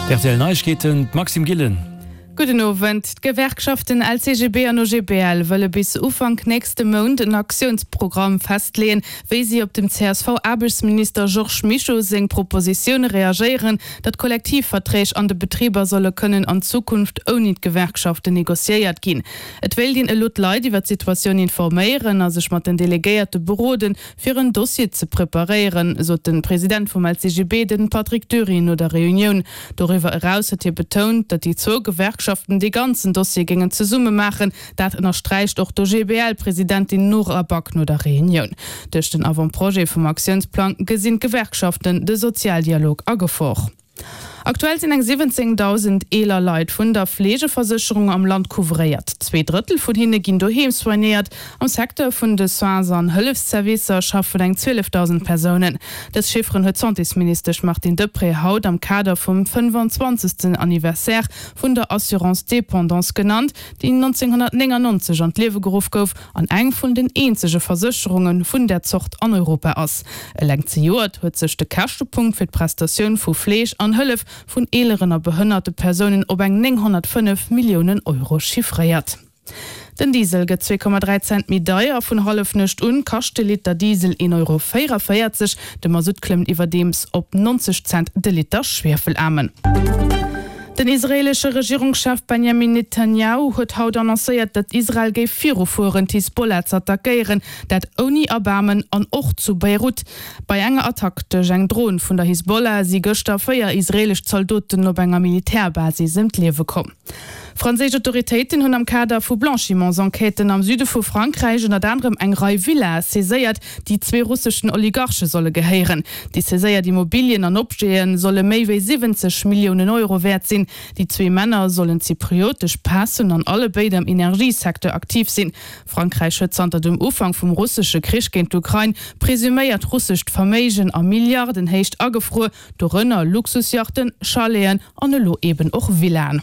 Rtl Neiegkeeten, d'Maxime Gillen. Gudden Owend. D'Gewerkschaften LCGB an OGBL wëlle bis Ufank nächste Mount en Aktiounsprogramm festleeën, wéi si op dem CSV-Aarbechtsminister Georges Mischo seng Propositioun reagéieren, datt Kollektivverträg an de Betriber solle kënnen an Zukunft ouni d'Gewerkschaften negociéiert ginn. Et wéilt een elo d'Leit iwwer d'Situatioun informéieren a sech mat den Delegéierte beroden, fir en Dossier ze preparéieren, sot de President vum LCGB, de Patrick Dury, no der Reunioun. Doriwwer eraus huet hie betount, datt déi zwou Gewerkschaften dee ganzen Dossier géingen zesumme maachen. Dat ënnersträicht och d'OGBL-Presidentin Nora Back no der Reunioun. Duerch den Avant-projet vum Aktiounsplang gesinn d'Gewerkschaften de Sozialdialog a Gefor. Aktuell sinn eng 17.000 eeler Leit vun der Fleegeversécherung am Land couvréiert. Zweedrëttel vun hinne ginn doheem soignéiert. Am Secteur vun de Soins an Hëllefsservicer schaffen eng 12.000 Persounen. Dës Chifferen huet d'Santésministesch Martine Deprez haut am Kader vum 25. Anniversaire vun der Assurance dépendance genannt, déi 1999 an d'Liewe geruff gouf an eng vun den eenzege Versécherunge vun där Zort an Europa ass. Eleng zejoert huet sech de Käschtepunkt fir d'Prestatioun vu Fleeg an Hëllef vun eeleren a behënnerte Persounen op eng 905 Milliounen Euro chiffréiert. Den Diesel gëtt 2,3 Cent méi deier. Vun Hallefnuecht un kascht de Liter Diesel 1,44 Euro. De Masutt klëmmt iwwerdeems op 90 Cent de Liter Schwiefelaarmen. Den israeelesche Regierungschef Benjamin Netanjahu huet haut annoncéiert, datt Israel géif virufueren, d'Hisbollah z'attackéieren, dat ouni Erbaarmen an och zu Beirut. Bei enger Attack duerch eng Dron vun der Hisbollah si gëschter 4 israeelesch Zaldoten op enger Militärbasis ëm d'Liewe komm. Franséisch Autoritéiten hunn am Kader vu Blanchiments-Enquêten am Süde vu Frankräich ënnert anerem eng Rei Villae saiséiert, déi zwee russeschen Oligarche solle gehéieren. Déi saiséiert Immobilien an Objete solle méi wéi 70 Milliounen Euro wäert sinn. Déi zwee Männer sollen zypriotesch Päss hunn an allebéid am Energiesecteur aktiv sinn. Frankräich huet zanter dem Ufank vum russesche Krich géint d'Ukrain presuméiert russescht Verméigen a Milliardenhéicht agefruer, dorënner Luxusjachten, Chaleten an elo eben och Villaen.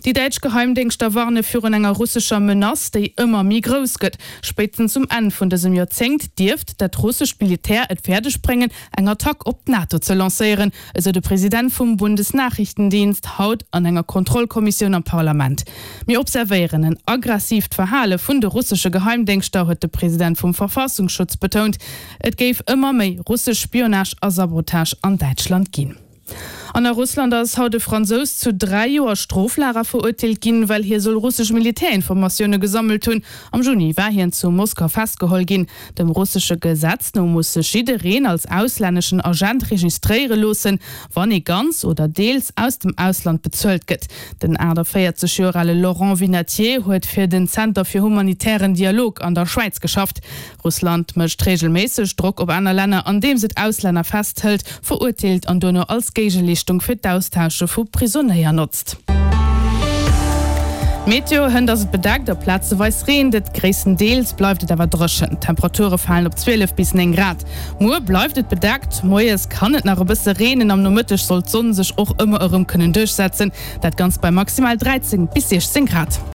Déi däitsch Geheimdéngschter warne virun enger russescher Menace, déi ëmmer méi grouss gëtt. Spéitstens um Enn vun dësem Joerzéngt dierft dat russescht Militär et fäerdeg bréngen, eng Attack op d'NATO ze lancéieren, esou de President vum Bundesnachrichtendienst haut an enger Kontrollkommissioun am Parlament. Mir observéieren en aggressiivt Verhale vun de russesche Geheimdéngschter, huet de President vum Verfassungsschutz betount. Et géif ëmmer méi russesch Spionage a Sabotage an Däitschland ginn. An a Russland ass haut e Fransous zu 3 Joer Stroflager verurteelt ginn, well hie soll russesch Militärinformatioune gesammelt hunn. Am Juni war hien zu Moskau festgeholl ginn. Dem russesche Gesetz no muss sech jiddereen als auslänneschen Agent registréiere loossen, wann ee ganz oder deels aus dem Ausland bezuelt gëtt. Den 48 Joer ale Laurent Vinatier huet fir den Zenter fir humanitären Dialog an der Schwäiz geschafft. Russland mécht reegelméisseg Drock op aner Länner, andeems et Auslänner festhëlt, verurteelt an duerno als Géigeleeschtung fir d'Austausche vu Prisonéier notzt. Meteo, Hënt ass et bedeckt a plazeweis reent et, gréisstendeels bleift et awer dréchen. D'Temperature falen op 12 bis 9 Grad. Muer bleift et bedeckt, moies kann et nach e bësse reenen, am Nomëtteg soll d'Sonn sech och ëmmer erëm kënnen duerchsetzen, dat Ganzt bei maximal 13 bis 16 Grad.